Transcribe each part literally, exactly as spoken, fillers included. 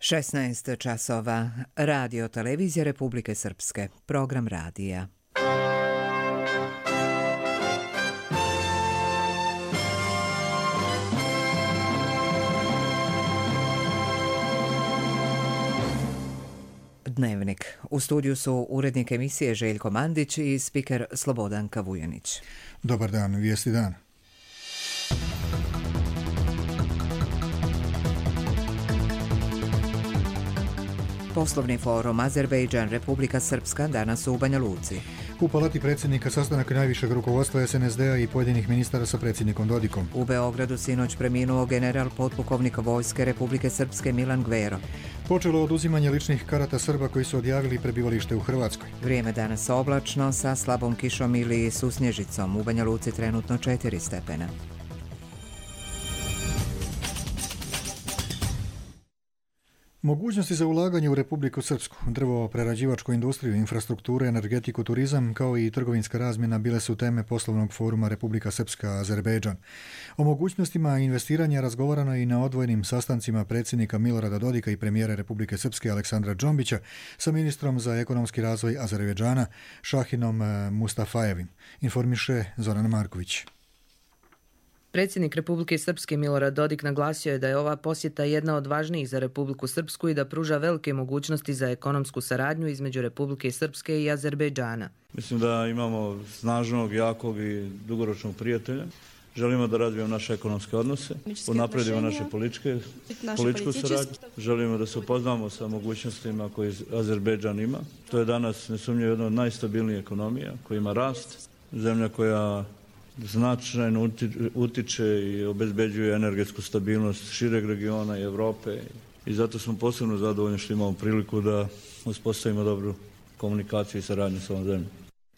šesnaest časova. Radio televizija Republike Srpske. Program radija. Dnevnik. U studiju su urednik emisije Željko Mandić i spiker Slobodanka Vujanić. Dobar dan, vijesti dan. Poslovni forum Azerbejdžan Republika Srpska danas u Banja Luci. U palati predsjednika sastanak najvišeg rukovodstva es en es de a i pojedinih ministara sa predsjednikom Dodikom. U Beogradu sinoć preminuo general potpukovnik vojske Republike Srpske Milan Gvero. Počelo oduzimanje ličnih karata Srba koji su odjavili prebivalište u Hrvatskoj. Vrijeme danas oblačno sa slabom kišom ili susnježicom. U Banja Luci trenutno četiri stepena. Mogućnosti za ulaganje u Republiku Srpsku, drvo-prerađivačku industriju, infrastrukturu, energetiku, turizam, kao i trgovinska razmjena bile su teme poslovnog foruma Republika Srpska Azerbejdžan. O mogućnostima investiranja razgovarano i na odvojenim sastancima predsjednika Milorada Dodika i premijera Republike Srpske Aleksandra Džombića sa ministrom za ekonomski razvoj Azerbejdžana Šahinom Mustafajevim, informiše Zoran Marković. Predsjednik Republike Srpske Milorad Dodik naglasio je da je ova posjeta jedna od važnijih za Republiku Srpsku i da pruža velike mogućnosti za ekonomsku saradnju između Republike Srpske i Azerbejdžana. Mislim da imamo snažnog, jakog i dugoročnog prijatelja. Želimo da razvijemo naše ekonomske odnose, unapredimo naše političke, političku saradnju. Želimo da se upoznamo sa mogućnostima koje Azerbejdžan ima. To je danas nesumnjivo jedna od najstabilnijih ekonomija koja ima rast, zemlja koja značajno utiče i obezbeđuje energetsku stabilnost šireg regiona i Evrope i zato smo posebno zadovoljni što imamo priliku da uspostavimo dobru komunikaciju i saradnju s ovom zemljom.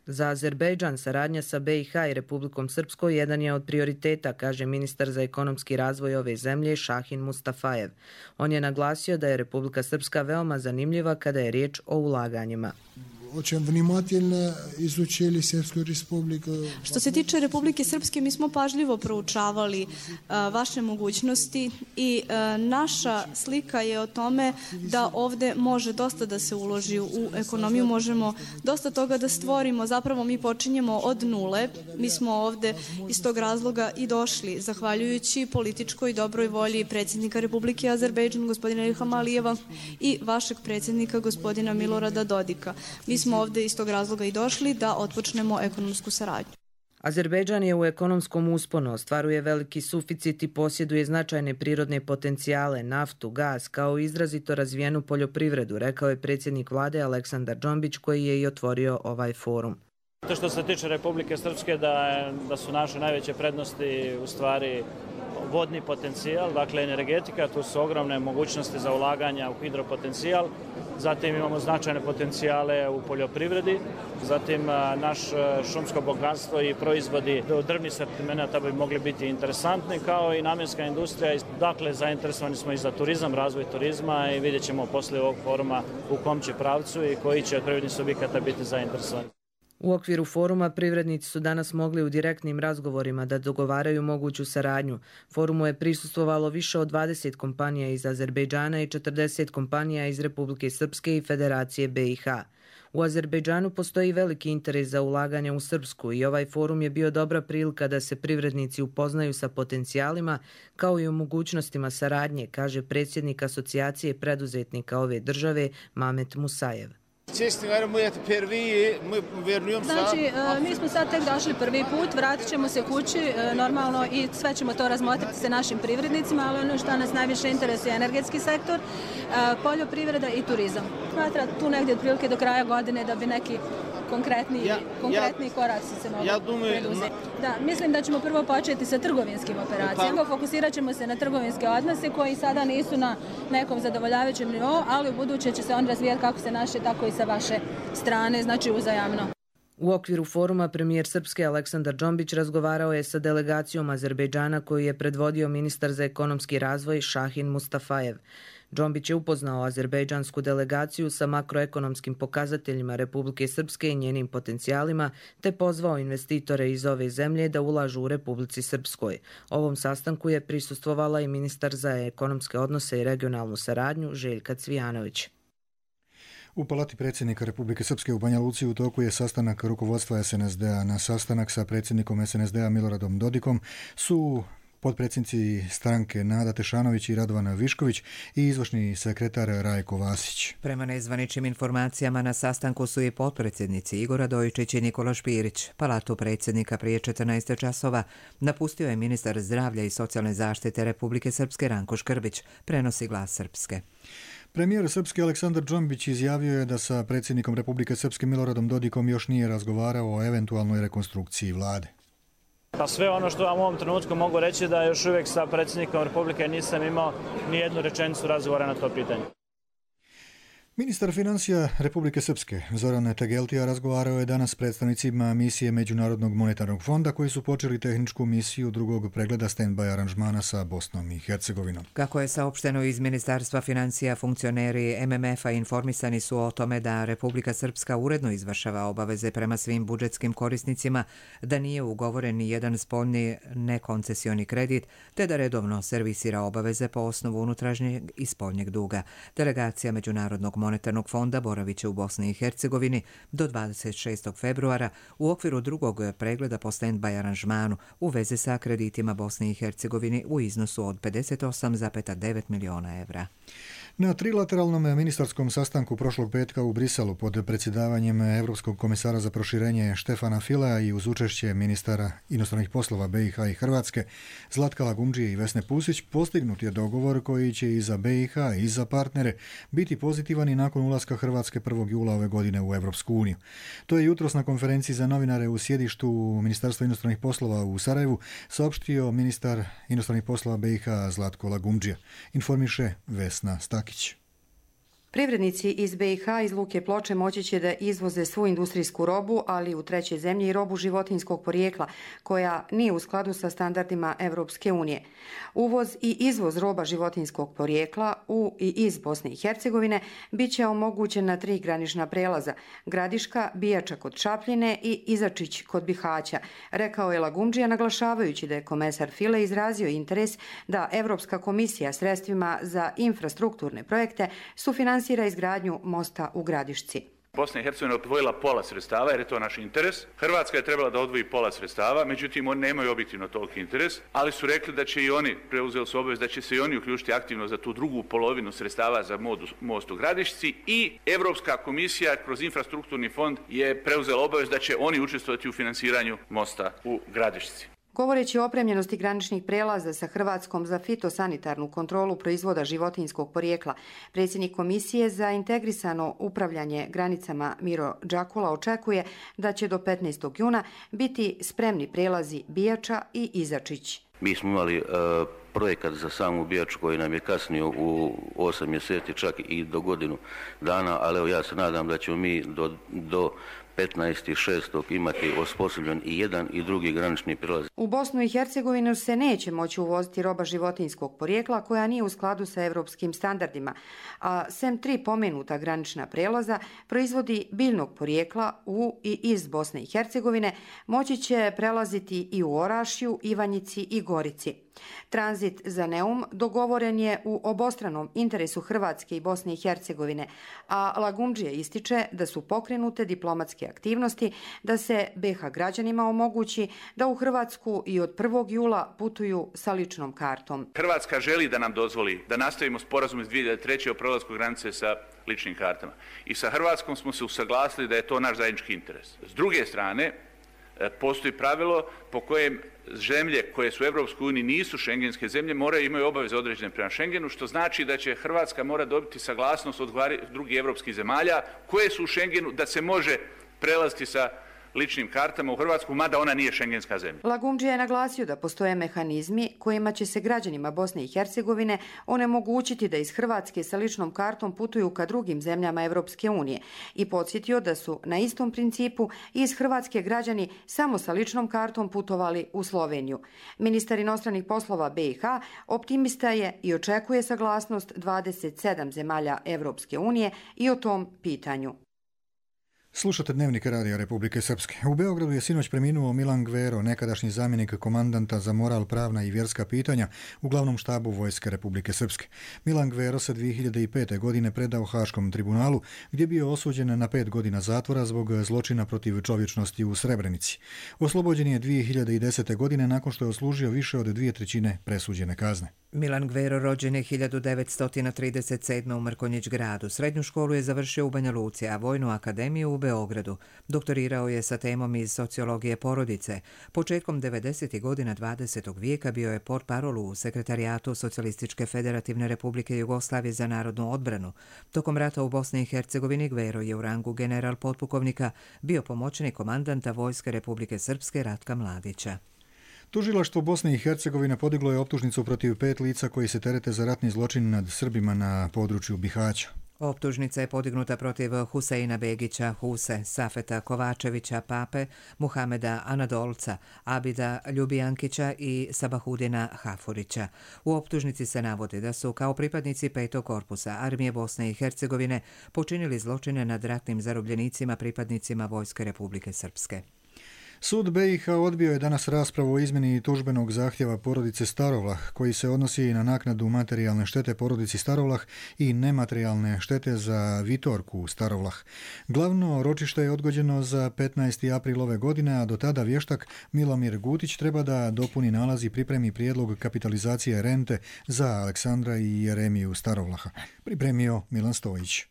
Za Azerbejdžan saradnja sa be i ha i Republikom Srpskoj jedan je od prioriteta, kaže ministar za ekonomski razvoj ove zemlje Šahin Mustafajev. On je naglasio da je Republika Srpska veoma zanimljiva kada je riječ o ulaganjima. Što se tiče Republike Srpske, mi smo pažljivo proučavali uh, vaše mogućnosti i uh, naša slika je o tome da ovdje može dosta da se uloži u ekonomiju, možemo dosta toga da stvorimo. Zapravo mi počinjemo od nule. Mi smo ovdje iz tog razloga i došli, zahvaljujući političkoj dobroj volji predsjednika Republike Azerbejdžan, gospodina Ilhama Alijeva, i vašeg predsjednika, gospodina Milorada Dodika. Mi smo ovdje iz tog razloga i došli da otpočnemo ekonomsku saradnju. Azerbejdžan je u ekonomskom usponu, ostvaruje veliki suficit i posjeduje značajne prirodne potencijale, naftu, gaz, kao i izrazito razvijenu poljoprivredu, rekao je predsjednik vlade Aleksandar Džombić koji je i otvorio ovaj forum. Što se tiče Republike Srpske, da, da su naše najveće prednosti u stvari vodni potencijal, dakle energetika, tu su ogromne mogućnosti za ulaganja u hidropotencijal, zatim imamo značajne potencijale u poljoprivredi, zatim naš šumsko bogatstvo i proizvodi drvnih sortimenata bi mogli biti interesantni, kao i namjenska industrija. Dakle, zainteresovani smo i za turizam, razvoj turizma i vidjet ćemo poslije ovog foruma u kom će pravcu i koji će od privrednih subjekata biti zainteresovani. U okviru foruma privrednici su danas mogli u direktnim razgovorima da dogovaraju moguću saradnju. Forumu je prisustvovalo više od dvadeset kompanija iz Azerbejdžana i četrdeset kompanija iz Republike Srpske i Federacije be i ha. U Azerbejdžanu postoji veliki interes za ulaganje u Srpsku i ovaj forum je bio dobra prilika da se privrednici upoznaju sa potencijalima kao i o mogućnostima saradnje, kaže predsjednik asocijacije preduzetnika ove države Mamet Musajev. Znači, mi smo sad tek došli prvi put, vratit ćemo se kući normalno i sve ćemo to razmotriti sa našim privrednicima, ali ono što nas najviše interesuje je energetski sektor, poljoprivreda i turizam. Smatra tu negdje otprilike do kraja godine da bi neki konkretni, ja, konkretni ja, koraci se mogu ja preduzeti. Da, mislim da ćemo prvo početi sa trgovinskim operacijama. Fokusirat ćemo se na trgovinske odnose koji sada nisu na nekom zadovoljavajućem nivou, ali u buduće će se on razvijati kako se naše, tako i sa vaše strane, znači uzajamno. U okviru foruma premijer Srpske Aleksandar Džombić razgovarao je sa delegacijom Azerbejdžana koju je predvodio ministar za ekonomski razvoj Šahin Mustafajev. Džombić je upoznao azerbejdžansku delegaciju sa makroekonomskim pokazateljima Republike Srpske i njenim potencijalima, te pozvao investitore iz ove zemlje da ulažu u Republici Srpskoj. Ovom sastanku je prisustvovala i ministar za ekonomske odnose i regionalnu saradnju Željka Cvijanović. U Palati predsjednika Republike Srpske u Banja Luci u toku je sastanak rukovodstva es en es de a. Na sastanak sa predsjednikom es en es de a Miloradom Dodikom su potpredsjednici stranke Nada Tešanović i Radovan Višković i izvršni sekretar Rajko Vasić. Prema nezvaničnim informacijama na sastanku su i potpredsjednici Igor Radojičić i Nikola Špirić. Palatu predsjednika prije četrnaest časova napustio je ministar zdravlja i socijalne zaštite Republike Srpske Ranko Škrbić, prenosi Glas Srpske. Premijer Srpske Aleksandar Džombić izjavio je da sa predsjednikom Republike Srpske Miloradom Dodikom još nije razgovarao o eventualnoj rekonstrukciji vlade. Pa sve ono što vam u ovom trenutku mogu reći da još uvijek sa predsjednikom Republike nisam imao ni jednu rečenicu razgovora na to pitanje. Ministar financija Republike Srpske Zoran Tegeltija razgovarao je danas s predstavnicima misije Međunarodnog monetarnog fonda koji su počeli tehničku misiju drugog pregleda stand-by aranžmana sa Bosnom i Hercegovinom. Kako je saopšteno iz Ministarstva financija, funkcioneri em em ef a informisani su o tome da Republika Srpska uredno izvršava obaveze prema svim budžetskim korisnicima, da nije ugovoren ni jedan spoljni nekoncesioni kredit, te da redovno servisira obaveze po osnovu unutrašnjeg i spoljnjeg duga. Delegacija Međunarodnog monetarnog fonda boravit će u Bosni i Hercegovini do dvadeset šestog februara u okviru drugog pregleda po stand-by aranžmanu u vezi sa kreditima Bosni i Hercegovini u iznosu od pedeset osam zarez devet miliona evra. Na trilateralnom ministarskom sastanku prošlog petka u Briselu pod predsjedavanjem Evropskog komesara za proširenje Štefana Filea i uz učešće ministara inostranih poslova be i ha i Hrvatske Zlatka Lagumdžije i Vesne Pusić postignut je dogovor koji će i za be i ha i za partnere biti pozitivan i nakon ulaska Hrvatske prvog jula ove godine u Evropsku uniju. To je jutros na konferenciji za novinare u sjedištu Ministarstva inostranih poslova u Sarajevu saopštio ministar inostranih poslova be i ha Zlatko Lagumdžija. Informiše Vesna Stak. Privrednici iz be i ha iz Luke Ploče moći će da izvoze svu industrijsku robu, ali u treće zemlje i robu životinjskog porijekla, koja nije u skladu sa standardima Evropske unije. Uvoz i izvoz roba životinjskog porijekla u i iz Bosne i Hercegovine bit će omogućen na tri granična prelaza: Gradiška, Bijača kod Čapljine i Izačić kod Bihaća, rekao je Lagumdžija, naglašavajući da je komesar File izrazio interes da Evropska komisija sredstvima za infrastrukturne projekte sufinansira izgradnju mosta u Gradišci. Bosna i Hercegovina je odvojila pola sredstava jer je to naš interes. Hrvatska je trebala da odvoji pola sredstava, međutim oni nemaju objektivno toliki interes, ali su rekli da će i oni, preuzeli su obavez da će se i oni uključiti aktivno za tu drugu polovinu sredstava za most u Gradišci i Evropska komisija kroz infrastrukturni fond je preuzela obavez da će oni učestvovati u finansiranju mosta u Gradišci. Govoreći o opremljenosti graničnih prelaza sa Hrvatskom za fitosanitarnu kontrolu proizvoda životinjskog porijekla, predsjednik Komisije za integrisano upravljanje granicama Miro Đakula očekuje da će do petnaestog juna biti spremni prelazi Bijača i Izačić. Mi smo imali uh, projekat za samu Bijaču koji nam je kasnio u osam mjeseci, čak i do godinu dana, ali evo ja se nadam da ćemo mi do, do petnaestog šestog imati osposobljen i jedan i drugi granični prilaz. U Bosnu i Hercegovinu se neće moći uvoziti roba životinjskog porijekla koja nije u skladu sa evropskim standardima, a sem tri pomenuta granična prelaza proizvodi biljnog porijekla u i iz Bosne i Hercegovine moći će prelaziti i u Orašju, Ivanjici i Gorici. Tranzit za Neum dogovoren je u obostranom interesu Hrvatske i Bosne i Hercegovine, a Lagumdžija ističe da su pokrenute diplomatske aktivnosti da se be ha građanima omogući da u Hrvatsku i od prvog jula putuju sa ličnom kartom. Hrvatska želi da nam dozvoli da nastavimo sporazum iz dvije hiljade treće o prelasku granice sa ličnim kartama. I sa Hrvatskom smo se usaglasili da je to naš zajednički interes. S druge strane, postoji pravilo po kojem zemlje koje su u Evropskoj uniji nisu šengenske zemlje moraju imaju obaveze određene prema Šengenu, što znači da će Hrvatska mora dobiti saglasnost od drugih evropskih zemalja koje su u Šengenu da se može prelaziti sa ličnim kartama u Hrvatsku, mada ona nije šengenska zemlja. Lagumdžija je naglasio da postoje mehanizmi kojima će se građanima Bosne i Hercegovine onemogućiti da iz Hrvatske sa ličnom kartom putuju ka drugim zemljama Evropske unije i podsjetio da su na istom principu iz Hrvatske građani samo sa ličnom kartom putovali u Sloveniju. Ministar inostranih poslova B i H optimista je i očekuje saglasnost dvadeset sedam zemalja Evropske unije i o tom pitanju. Slušate Dnevnik Radija Republike Srpske. U Beogradu je sinoć preminuo Milan Gvero, nekadašnji zamjenik komandanta za moral, pravna i vjerska pitanja u glavnom štabu Vojske Republike Srpske. Milan Gvero se dvije hiljade pete. godine predao Haškom tribunalu, gdje je bio osuđen na pet godina zatvora zbog zločina protiv čovječnosti u Srebrenici. Oslobođen je dvije hiljade desete. godine nakon što je odslužio više od dvije trećine presuđene kazne. Milan Gvero rođen je hiljadu devetsto trideset sedme. u Mrkonjić gradu. Srednju školu je završio u Banja Luci, a Vojnu akademiju u Beogradu. Doktorirao je sa temom iz sociologije porodice. Početkom devedesetih godina dvadesetog vijeka bio je portparol u Sekretarijatu Socijalističke federativne Republike Jugoslavije za narodnu odbranu. Tokom rata u Bosni i Hercegovini Gvero je u rangu general potpukovnika bio pomoćnik komandanta Vojske Republike Srpske Ratka Mladića. Tužilaštvo Bosne i Hercegovine podiglo je optužnicu protiv pet lica koji se terete za ratni zločin nad Srbima na području Bihaća. Optužnica je podignuta protiv Huseina Begića, Huse, Safeta Kovačevića, Pape, Muhameda Anadolca, Abida Ljubijankića i Sabahudina Hafurića. U optužnici se navodi da su kao pripadnici petog korpusa Armije Bosne i Hercegovine počinili zločine nad ratnim zarobljenicima pripadnicima Vojske Republike Srpske. Sud B i H odbio je danas raspravu o izmjeni tužbenog zahtjeva porodice Starovlah, koji se odnosi na naknadu materijalne štete porodici Starovlah i nematerijalne štete za Vitorku Starovlah. Glavno ročište je odgođeno za petnaesti april ove godine, a do tada vještak Milomir Gutić treba da dopuni nalaz i pripremi prijedlog kapitalizacije rente za Aleksandra i Jeremiju Starovlaha. Pripremio Milan Stojić.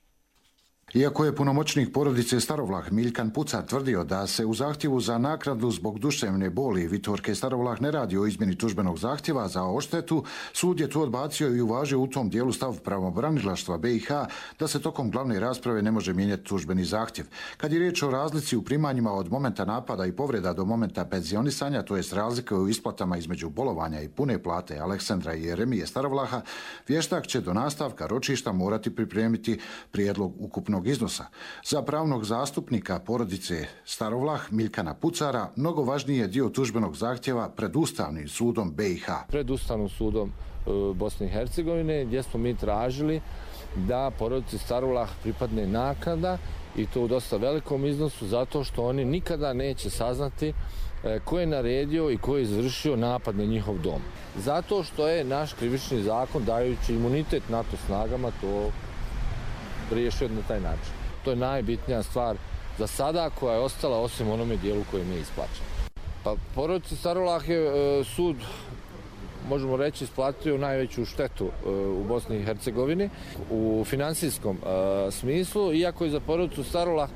Iako je punomoćnik porodice Starovlah Miljkan Pucar tvrdio da se u zahtjevu za naknadu zbog duševne boli Vitorke Starovlah ne radi o izmjeni tužbenog zahtjeva za odštetu, sud je to odbacio i uvažio u tom dijelu stav pravobranilaštva B i H da se tokom glavne rasprave ne može mijenjati tužbeni zahtjev. Kad je riječ o razlici u primanjima od momenta napada i povreda do momenta penzionisanja, to jest razlike u isplatama između bolovanja i pune plate Aleksandra i Jeremije Starovlaha, vještak će do nastavka ročišta morati pripremiti prijedlog ukupnog iznosa. Za pravnog zastupnika porodice Starovlah Miljkana Pucara mnogo važniji je dio tužbenog zahtjeva pred Ustavnim sudom B i H. Pred Ustavnim sudom Bosne i Hercegovine gdje smo mi tražili da porodici Starovlah pripadne naknada i to u dosta velikom iznosu zato što oni nikada neće saznati ko je naredio i ko je izvršio napad na njihov dom. Zato što je naš krivični zakon dajući imunitet NATO snagama to riješio na taj način. To je najbitnija stvar za sada koja je ostala osim onome dijelu koji mi je isplaćen. Pa porodici Starovlah je e, sud, možemo reći, isplatio najveću štetu e, u Bosni i Hercegovini u finansijskom e, smislu, iako je za porodicu Starovlah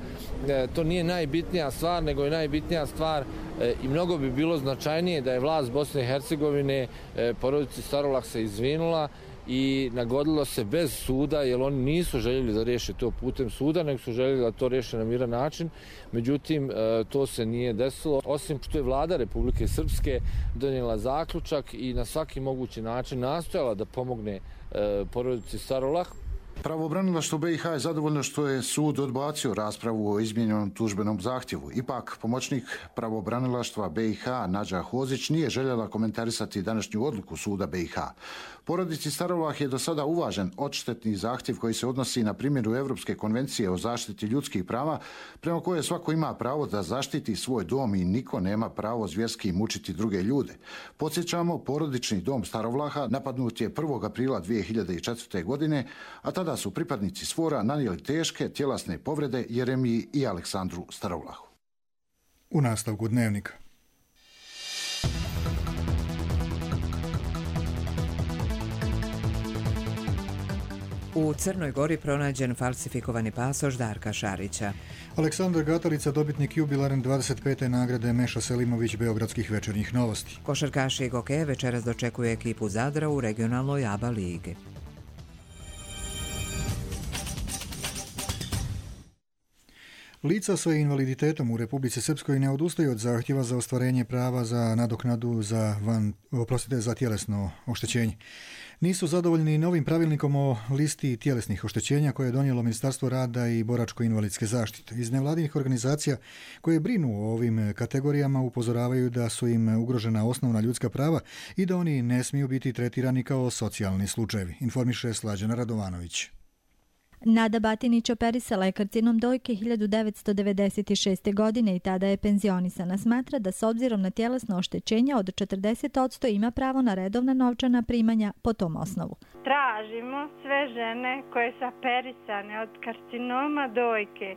e, to nije najbitnija stvar, nego je najbitnija stvar e, i mnogo bi bilo značajnije da je vlast Bosne i Hercegovine e, porodici Starovlah se izvinula i nagodilo se bez suda, jer oni nisu željeli da riješe to putem suda, nego su željeli da to riješe na miran način. Međutim, to se nije desilo, osim što je vlada Republike Srpske donijela zaključak i na svaki mogući način nastojala da pomogne porodici Starovlah. Pravobranilaštvo B i H je zadovoljno što je sud odbacio raspravu o izmijenjenom tužbenom zahtjevu. Ipak, pomoćnik pravobranilaštva B i H Nađa Hozić nije željela komentarisati današnju odluku suda B i H. Porodici Starovlah je do sada uvažen odštetni zahtjev koji se odnosi na primjenu Europske konvencije o zaštiti ljudskih prava, prema koje svako ima pravo da zaštiti svoj dom i niko nema pravo zvjerski mučiti druge ljude. Podsjećamo, porodični dom Starovlaha napadnut je prvog aprila dvije hiljade četvrte. godine, a tada su pripadnici Sfora nanijeli teške tjelesne povrede Jeremiji i Aleksandru Starovlahu. U nastavku Dnevnika. U Crnoj Gori pronađen falsifikovani pasoš Darka Šarića. Aleksandar Gatalica, dobitnik jubilaren dvadeset pete nagrade Meša Selimović Beogradskih večernjih novosti. Košarkaši Goke večeras dočekuje ekipu Zadra u regionalnoj A B A ligi. Lica sa invaliditetom u Republici Srpskoj ne odustaju od zahtjeva za ostvarenje prava za nadoknadu za, van, oprostite, za tjelesno oštećenje. Nisu zadovoljni novim pravilnikom o listi tjelesnih oštećenja koje je donijelo Ministarstvo rada i boračko-invalidske zaštite. Iz nevladinih organizacija koje brinu o ovim kategorijama upozoravaju da su im ugrožena osnovna ljudska prava i da oni ne smiju biti tretirani kao socijalni slučajevi, informiše Slađana Radovanović. Nada Batinić operisala je karcinom dojke hiljadu devetsto devedeset šeste. godine i tada je penzionisana. Smatra da s obzirom na tjelesno oštećenje od četrdeset posto ima pravo na redovna novčana primanja po tom osnovu. Tražimo sve žene koje su operisane od karcinoma dojke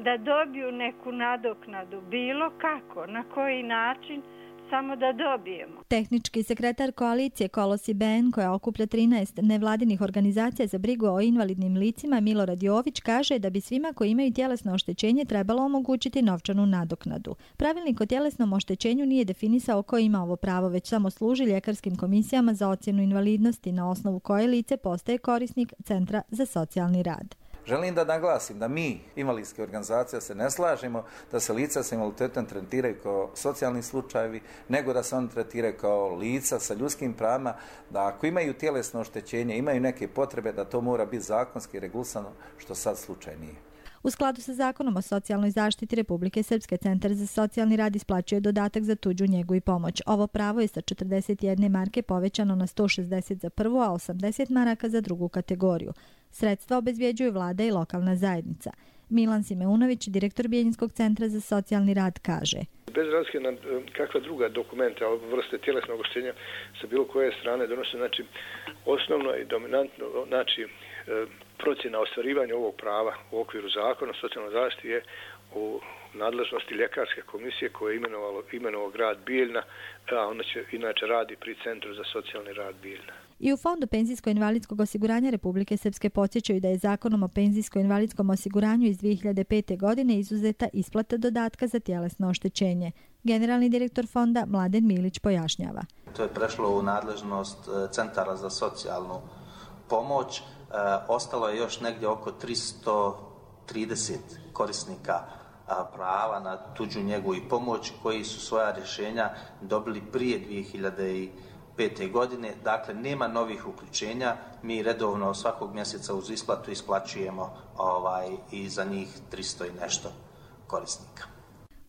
da dobiju neku nadoknadu, bilo kako, na koji način, samo da dobijemo. Tehnički sekretar koalicije Kolosi B N, koja okuplja trinaest nevladinih organizacija za brigu o invalidnim licima, Milorad Jović, kaže da bi svima koji imaju tjelesno oštećenje trebalo omogućiti novčanu nadoknadu. Pravilnik o tjelesnom oštećenju nije definisao ko ima ovo pravo, već samo služi ljekarskim komisijama za ocjenu invalidnosti, na osnovu koje lice postaje korisnik Centra za socijalni rad. Želim da naglasim da mi, invalidske organizacije, se ne slažemo da se lica sa invaliditetom tretiraju kao socijalni slučajevi, nego da se oni tretiraju kao lica sa ljudskim pravima, da ako imaju tjelesno oštećenje, imaju neke potrebe, da to mora biti zakonski regulisano, što sad slučaj nije. U skladu sa zakonom o socijalnoj zaštiti Republike Srpske, Centar za socijalni rad isplaćuje dodatak za tuđu njegu i pomoć. Ovo pravo je sa četrdeset jedne marke povećano na sto šezdeset za prvu, a osamdeset maraka za drugu kategoriju. Sredstva obezvjeđuju vlada i lokalna zajednica. Milan Simeunović, direktor Bijeljinskog centra za socijalni rad, kaže: Bez razlike na kakva druga dokumenta o vrste tjelesnog oštećenja sa bilo koje strane donose, znači osnovno i dominantno, znači procjena ostvarivanju ovog prava u okviru zakona o socijalnoj zaštiti je u nadležnosti ljekarske komisije koje je imenovalo, imenovao grad Bijeljna, a ona će inače radi pri Centru za socijalni rad Bijeljna. I u Fondu penzijsko-invalidskog osiguranja Republike Srpske podsjećaju da je Zakonom o penzijsko-invalidskom osiguranju iz dvije hiljade pete. godine izuzeta isplata dodatka za tjelesno oštećenje. Generalni direktor fonda Mladen Milić pojašnjava: To je prešlo u nadležnost Centara za socijalnu pomoć. Ostalo je još negdje oko tristo trideset korisnika prava na tuđu njegu i pomoć koji su svoja rješenja dobili prije dvije hiljade pete. godine. Dakle, nema novih uključenja. Mi redovno svakog mjeseca uz isplatu isplaćujemo ovaj, i za njih tristo i nešto korisnika.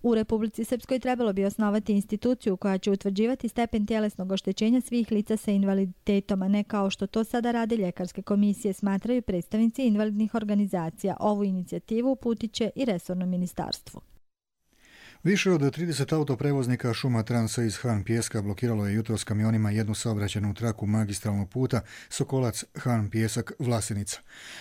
U Republici Srpskoj trebalo bi osnovati instituciju koja će utvrđivati stepen tjelesnog oštećenja svih lica sa invaliditetom, a ne kao što to sada rade ljekarske komisije, smatraju predstavnici invalidnih organizacija. Ovu inicijativu uputit će i resorno ministarstvo. Više od trideset autoprevoznika Šuma Transa iz Han Pijeska blokiralo je jutros kamionima jednu saobraćajnu traku magistralnog puta Sokolac-Han Pijesak-Vlasenica.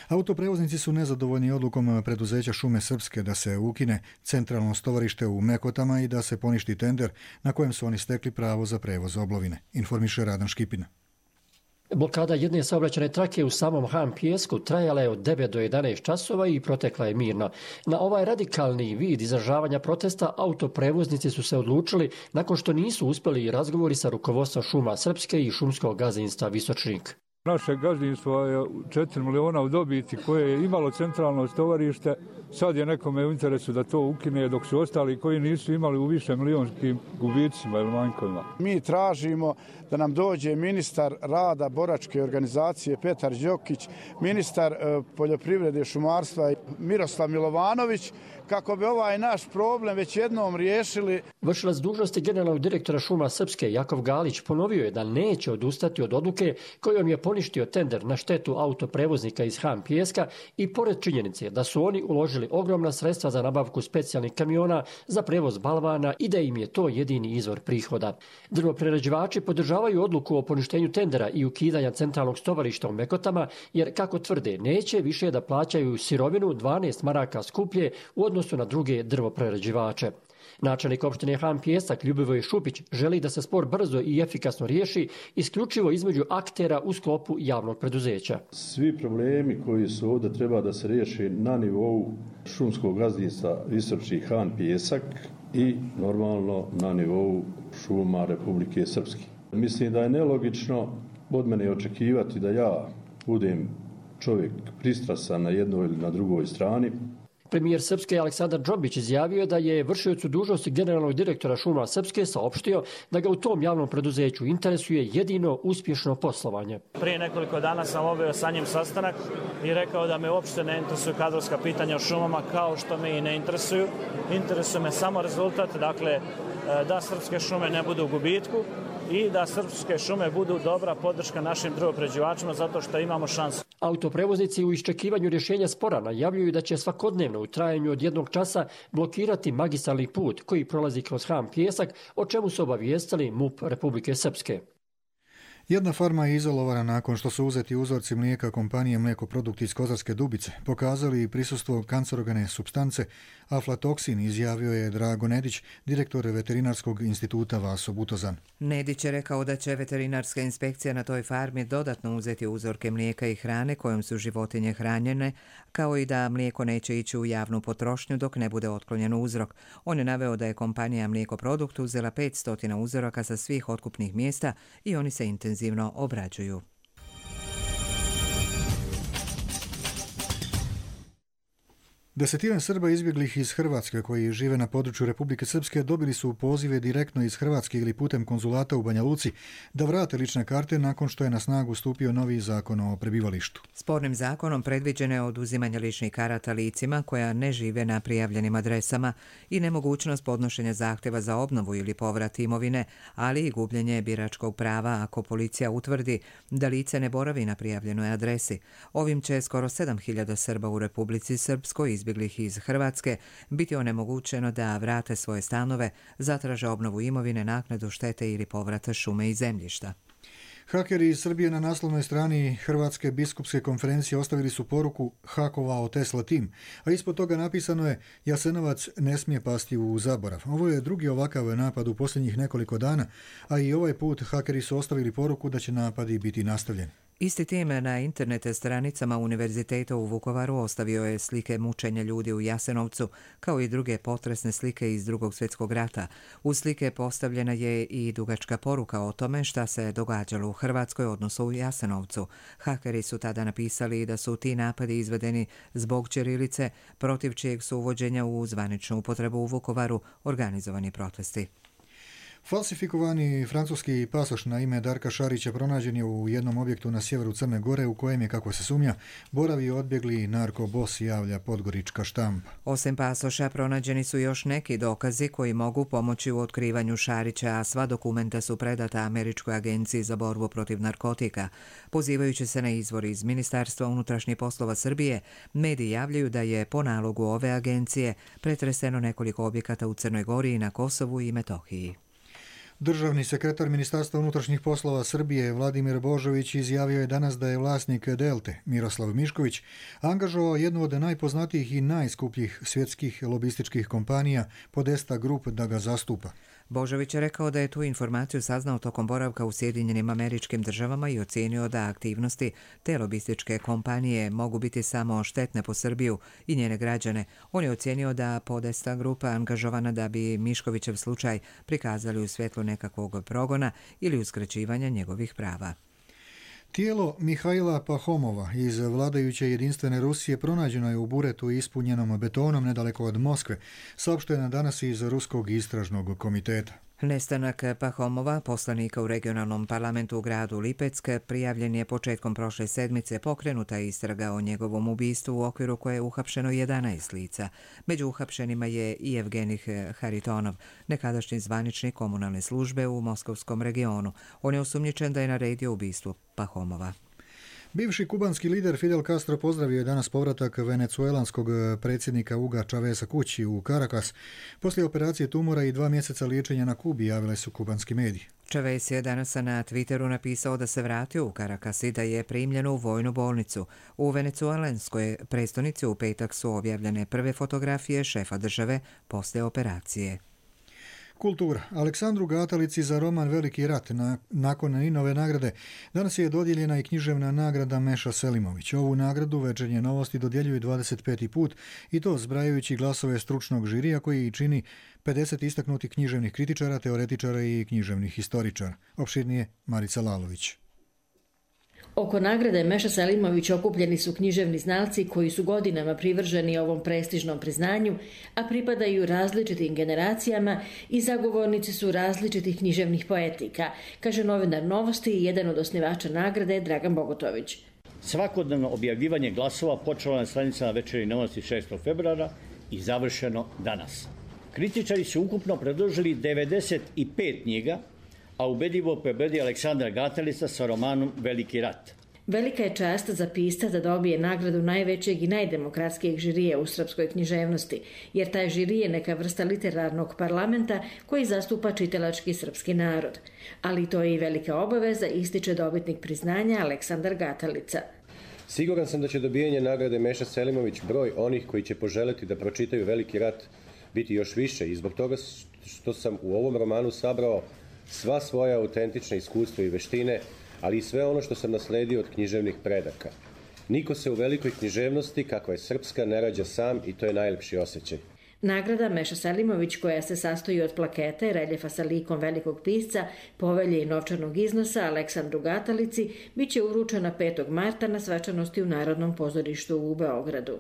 Autoprevoznici su nezadovoljni odlukom preduzeća Šume Srpske da se ukine centralno stovarište u Mekotama i da se poništi tender na kojem su oni stekli pravo za prevoz oblovine, informiše Radan Škipina. Blokada jedne saobraćajne trake u samom Han Pijesku trajala je od devet do jedanaest časova i protekla je mirno. Na ovaj radikalni vid izražavanja protesta autoprevoznici su se odlučili nakon što nisu uspjeli razgovori sa rukovodstvom Šuma Srpske i šumskog gazdinstva Visočnik. Naše gazdinstvo je četiri miliona u dobiti koje je imalo centralno stovarište. Sad je nekome u interesu da to ukine, dok su ostali koji nisu imali u više milionskim gubicima ili manjkovima. Mi tražimo da nam dođe ministar rada boračke organizacije Petar Đokić, ministar poljoprivrede šumarstva Miroslav Milovanović, kako bi ovaj naš problem već jednom riješili. Vršilac dužnosti generalnog direktora Šuma Srpske Jakov Galić ponovio je da neće odustati od odluke kojom je poništio tender na štetu autoprevoznika iz Han Pijeska i pored činjenice da su oni uložili ogromna sredstva za nabavku specijalnih kamiona za prevoz balvana i da im je to jedini izvor prihoda. Drvoprerađivači podržavaju odluku o poništenju tendera i ukidanja centralnog stovarišta u Mekotama, jer, kako tvrde, neće više da plaćaju sirovinu dvanaest maraka skuplje u odnosu na druge drvoprerađivače. Načelnik opštine Han Pijesak Ljubivoj Šupić želi da se spor brzo i efikasno riješi isključivo između aktera u sklopu javnog preduzeća. Svi problemi koji su ovdje treba da se riješi na nivou šumskog gazdinstva Visočnik Han Pijesak i normalno na nivou šuma Republike Srpske. Mislim da je nelogično od mene očekivati da ja budem čovjek pristrasan na jednoj ili na drugoj strani. Premijer Srpske Aleksandar Džombić izjavio je da je vršiocu dužnosti generalnog direktora šuma Srpske saopštio da ga u tom javnom preduzeću interesuje jedino uspješno poslovanje. Prije nekoliko dana sam obavio sa njim sastanak i rekao da me uopšte ne interesuju kadrovska pitanja o šumama, kao što me i ne interesuju. Interesuje me samo rezultat, dakle da srpske šume ne budu u gubitku i da srpske šume budu dobra podrška našim drvoprerađivačima zato što imamo šansu. Autoprevoznici u iščekivanju rješenja spora najavljuju da će svakodnevno u trajanju od jednog časa blokirati magistralni put koji prolazi kroz Han Pijesak, o čemu su obavijestili MUP Republike Srpske. Jedna farma je izolovana nakon što su uzeti uzorci mlijeka kompanije Mlijekoprodukti iz Kozarske Dubice. Pokazali i prisustvo kancerogene supstance aflatoksin, izjavio je Drago Nedić, direktor Veterinarskog instituta Vaso Butozan. Nedić je rekao da će veterinarska inspekcija na toj farmi dodatno uzeti uzorke mlijeka i hrane kojom su životinje hranjene, kao i da mlijeko neće ići u javnu potrošnju dok ne bude otklonjen uzrok. On je naveo da je kompanija Mlijekoprodukt uzela petsto uzoraka sa svih otkupnih mjesta i oni se intenzivno obrađuju. Desetine Srba izbjeglih iz Hrvatske koji žive na području Republike Srpske dobili su pozive direktno iz Hrvatske ili putem konzulata u Banja Luci da vrate lične karte nakon što je na snagu stupio novi zakon o prebivalištu. Spornim zakonom predviđeno je oduzimanje ličnih karata licima koja ne žive na prijavljenim adresama i nemogućnost podnošenja zahtjeva za obnovu ili povrat imovine, ali i gubljenje biračkog prava ako policija utvrdi da lice ne boravi na prijavljenoj adresi. Ovim će skoro sedam hiljada Srba u Republici Srpskoj izbjeglih iz Hrvatske biti onemogućeno da vrate svoje stanove, zatraže obnovu imovine, naknadu štete ili povrata šume i zemljišta. Hakeri iz Srbije na naslovnoj strani Hrvatske biskupske konferencije ostavili su poruku hakovao Tesla tim, a ispod toga napisano je Jasenovac ne smije pasti u zaborav. Ovo je drugi ovakav napad u posljednjih nekoliko dana, a i ovaj put hakeri su ostavili poruku da će napadi biti nastavljeni. Isti tim na internet stranicama Univerziteta u Vukovaru ostavio je slike mučenja ljudi u Jasenovcu, kao i druge potresne slike iz Drugog svjetskog rata. U slike postavljena je i dugačka poruka o tome šta se događalo u Hrvatskoj, odnosno u Jasenovcu. Hakeri su tada napisali da su ti napadi izvedeni zbog ćirilice, protiv čijeg su uvođenja u zvaničnu upotrebu u Vukovaru organizovani protesti. Falsifikovani francuski pasoš na ime Darka Šarića pronađen je u jednom objektu na sjeveru Crne Gore u kojem je, kako se sumnja, boravi odbjegli narkobos, javlja podgorička štampa. Osim pasoša pronađeni su još neki dokazi koji mogu pomoći u otkrivanju Šarića, a sva dokumenta su predata Američkoj agenciji za borbu protiv narkotika. Pozivajući se na izvor iz Ministarstva unutrašnjih poslova Srbije, mediji javljaju da je po nalogu ove agencije pretreseno nekoliko objekata u Crnoj Gori i na Kosovu i Metohiji. Državni sekretar Ministarstva unutrašnjih poslova Srbije Vladimir Božović izjavio je danas da je vlasnik Delte, Miroslav Mišković, angažovao jednu od najpoznatijih i najskupljih svjetskih lobističkih kompanija Podesta Group da ga zastupa. Božović je rekao da je tu informaciju saznao tokom boravka u Sjedinjenim Američkim Državama i ocijenio da aktivnosti te lobističke kompanije mogu biti samo štetne po Srbiju i njene građane. On je ocijenio da Podesta grupa angažovana da bi Miškovićev slučaj prikazali u svjetlu nekakvog progona ili uskraćivanja njegovih prava. Tijelo Mihajla Pahomova iz vladajuće jedinstvene Rusije pronađeno je u buretu ispunjenom betonom nedaleko od Moskve, saopšteno danas iz Ruskog istražnog komiteta. Nestanak Pahomova, poslanika u regionalnom parlamentu u gradu Lipetsk, prijavljen je početkom prošle sedmice. Pokrenuta istraga o njegovom ubistvu u okviru koje je uhapšeno jedanaest lica. Među uhapšenima je i Evgenih Haritonov, nekadašnji zvaničnik komunalne službe u moskovskom regionu. On je osumnjičen da je naredio ubistvo Pahomova. Bivši kubanski lider Fidel Castro pozdravio je danas povratak venecuelanskog predsjednika Huga Chaveza kući u Caracas. Poslije operacije tumora i dva mjeseca liječenja na Kubi, javile su kubanski mediji. Chavez je danas na Twitteru napisao da se vratio u Caracas i da je primljen u vojnu bolnicu. U venecuelanskoj prestonici u petak su objavljene prve fotografije šefa države poslije operacije. Kultura. Aleksandru Gatalici za roman Veliki rat na, nakon Ninove nagrade danas je dodijeljena i književna nagrada Meša Selimović. Ovu nagradu Večernje novosti dodjeljuju dvadeset peti put i to zbrajajući glasove stručnog žirija koji čini pedeset istaknutih književnih kritičara, teoretičara i književnih historičara. Opširnije Marica Lalović. Oko nagrade Meša Selimović okupljeni su književni znalci koji su godinama privrženi ovom prestižnom priznanju, a pripadaju različitim generacijama i zagovornici su različitih književnih poetika, kaže novinar Novosti i jedan od osnivača nagrade Dragan Bogotović. Svakodnevno objavljivanje glasova počelo na stranicama Večernjih Novosti šestog februara i završeno danas. Kritičari su ukupno predložili devedeset pet knjiga, a ubedljivo pobedi Aleksandar Gatalica sa romanom Veliki rat. Velika je čast za pisca da dobije nagradu najvećeg i najdemokratskijeg žirija u srpskoj književnosti, jer taj žiri je neka vrsta literarnog parlamenta koji zastupa čitalački srpski narod. Ali to je i velika obaveza, ističe dobitnik priznanja Aleksandar Gatalica. Siguran sam da će dobijanje nagrade Meša Selimović broj onih koji će poželeti da pročitaju Veliki rat biti još više i zbog toga što sam u ovom romanu sabrao sva svoja autentična iskustva i veštine, ali i sve ono što sam nasledio od književnih predaka. Niko se u velikoj književnosti, kakva je srpska, ne rađa sam i to je najlepši osjećaj. Nagrada Meša Selimović, koja se sastoji od plakete, reljefa sa likom velikog pisca, povelje i novčanog iznosa Aleksandru Gatalici, bit će uručena petog marta na svečanosti u Narodnom pozorištu u Beogradu.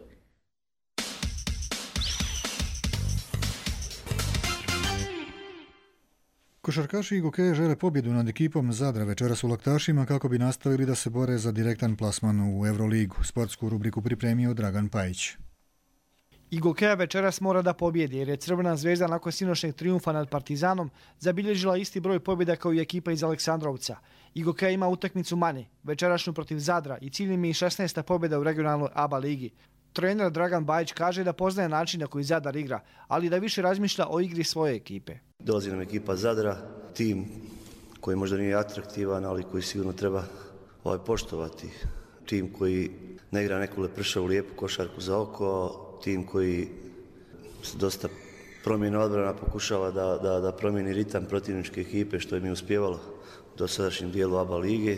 Košarkaši Igokeje žele pobjedu nad ekipom Zadra večeras u Laktašima kako bi nastavili da se bore za direktan plasman u Euroligu. Sportsku rubriku pripremio Dragan Pajić. Igokeja večeras mora da pobjedi jer je Crvena zvezda nakon sinoćnjeg trijumfa nad Partizanom zabilježila isti broj pobjeda kao i ekipa iz Aleksandrovca. Igokeja ima utakmicu manje, večerašnju protiv Zadra i cilj im je i šesnaesta pobjeda u regionalnoj A B A ligi. Trener Dragan Bajić kaže da poznaje način na koji Zadar igra, ali da više razmišlja o igri svoje ekipe. Dolazi nam ekipa Zadra, tim koji možda nije atraktivan, ali koji sigurno treba ovaj, poštovati. Tim koji ne igra neku lepršavu lijepu košarku za oko, tim koji se dosta promjena odbrana pokušava da, da, da promijeni ritam protivničke ekipe, što je mi uspjevalo u dosadašnjem dijelu A B A lige,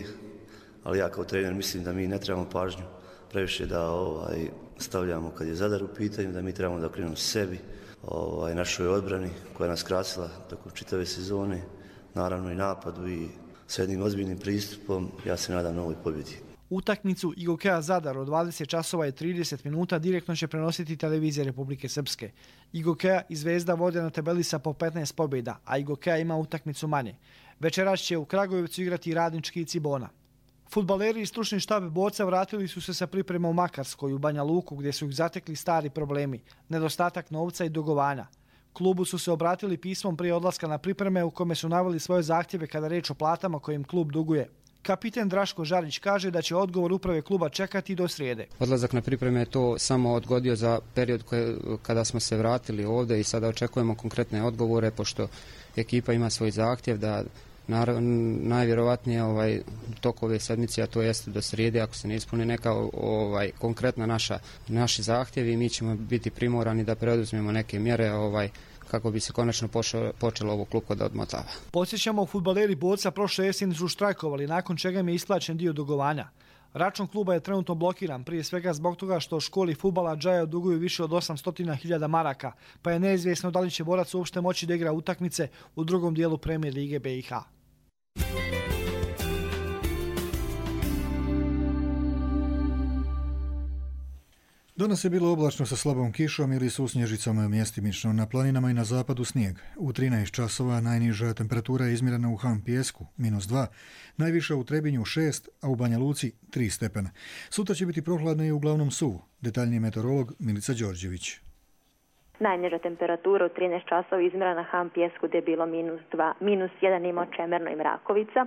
ali ja kao trener mislim da mi ne trebamo pažnju previše da ovaj, stavljamo kad je Zadar u pitanju, da mi trebamo da okrenemo sebi, ovaj, našoj odbrani koja nas krasila tokom čitave sezone, naravno i napadu i s jednim ozbiljnim pristupom, ja se nadam novoj pobjedi. Utakmicu Igokeja Zadar od dvadeset časova i trideset minuta direktno će prenositi televizija Republike Srpske. Igokeja i Zvezda vode na tabeli sa po petnaest pobjeda, a Igokeja ima utakmicu manje. Večeras će u Kragujevcu igrati Radnički i Cibona. Fudbaleri i stručni štab borca vratili su se sa pripremom u Makarskoj u Banja Luku gdje su ih zatekli stari problemi, nedostatak novca i dugovanja. Klubu su se obratili pismom prije odlaska na pripreme u kome su naveli svoje zahtjeve kada reč o platama koje im klub duguje. Kapiten Draško Žarić kaže da će odgovor uprave kluba čekati do srijede. Odlazak na pripreme je to samo odgodio za period koje, kada smo se vratili ovdje i sada očekujemo konkretne odgovore pošto ekipa ima svoj zahtjev da naravno najvjerovatnije ovaj tok ove sedmice, a to jeste do srijede, ako se ne ispuni neka ovaj konkretna naša naši zahtjevi, mi ćemo biti primorani da preuzmemo neke mjere ovaj kako bi se konačno pošlo, počelo ovo klupko da odmotava. Podsjećamo, fudbaleri Borca prošle jeseni su štrajkovali, nakon čega im je isplaćen dio dugovanja. Račun kluba je trenutno blokiran, prije svega zbog toga što školi fudbala Džaja duguju više od osamsto hiljada maraka, pa je neizvjesno da li će Borac uopšte moći da igra utakmice u drugom dijelu Premijer lige B i H. Danas je bilo oblačno sa slabom kišom ili susnježicom, mjestimično na planinama i na zapadu snijeg. U trinaest časova najniža temperatura je izmjerena u Han Pijesku, minus dva, najviša u Trebinju šest, a u Banja Luci tri stepena. Sutra će biti prohladno i uglavnom suvo. Detaljniji meteorolog Milica Đorđević. Najniža temperatura u trinaest časova izmjerena na Han Pijesku gdje je bilo minus dva, minus jedan ima Čemerno i Mrakovica.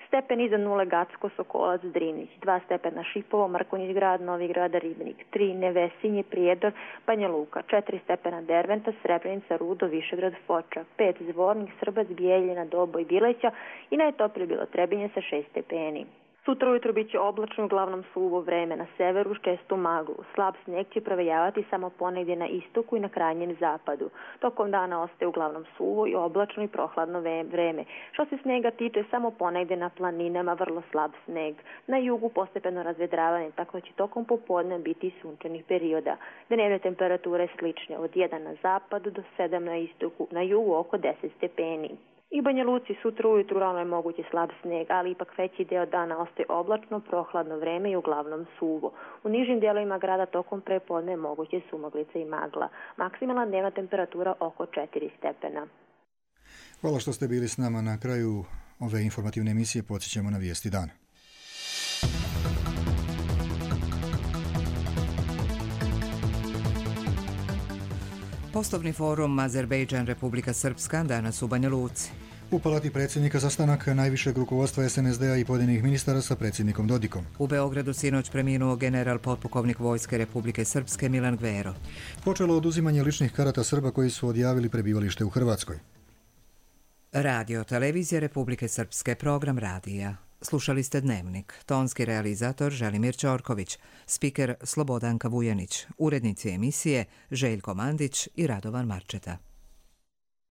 Stepen iza nule Gacko, Sokolac, Drinić, dva stepena Šipovo, Mrkonjić grad, Novi grad, Ribnik, tri Nevesinje, Prijedor, Banja Luka, četiri stepena Derventa, Srebrenica, Rudo, Višegrad, Foča, pet Zvornik, Srbac, Bijeljina, Dobo i Bileća i najtoplije bilo Trebinje sa šest stepeni. Sutra ujutro bit će oblačno, uglavnom suvo vreme, na severu uz čestu maglu. Slab snijeg će provejavati samo ponegdje na istoku i na krajnjem zapadu. Tokom dana ostaje uglavnom suvo i oblačno i prohladno vreme. Što se snijega tiče, samo ponegdje na planinama vrlo slab snijeg. Na jugu postepeno razvedravanje, tako da će tokom popodne biti sunčanih perioda. Dnevne temperature slične od jedan na zapadu do sedam na istoku, na jugu oko deset stepeni. I u Banja Luci sutra ujutru rano je mogući slab snijeg, ali ipak veći deo dana ostaje oblačno, prohladno vreme i uglavnom suvo. U nižim dijelovima grada tokom prepodne je moguće sumaglice i magla. Maksimalna dnevna temperatura oko četiri stepena. Hvala što ste bili s nama. Na kraju ove informativne emisije podsjećamo na vijesti dana. Poslovni forum Azerbejdžan Republika Srpska danas u Banja Luci. U palati predsjednika sastanak najvišeg rukovodstva es en es de a i pojedinih ministara sa predsjednikom Dodikom. U Beogradu sinoć preminuo general potpukovnik Vojske Republike Srpske Milan Gvero. Počelo oduzimanje ličnih karata Srba koji su odjavili prebivalište u Hrvatskoj. Radio Televizija Republike Srpske, program radija. Slušali ste Dnevnik. Tonski realizator Želimir Ćorković, spiker Slobodanka Vujanić, urednici emisije Željko Mandić i Radovan Marčeta.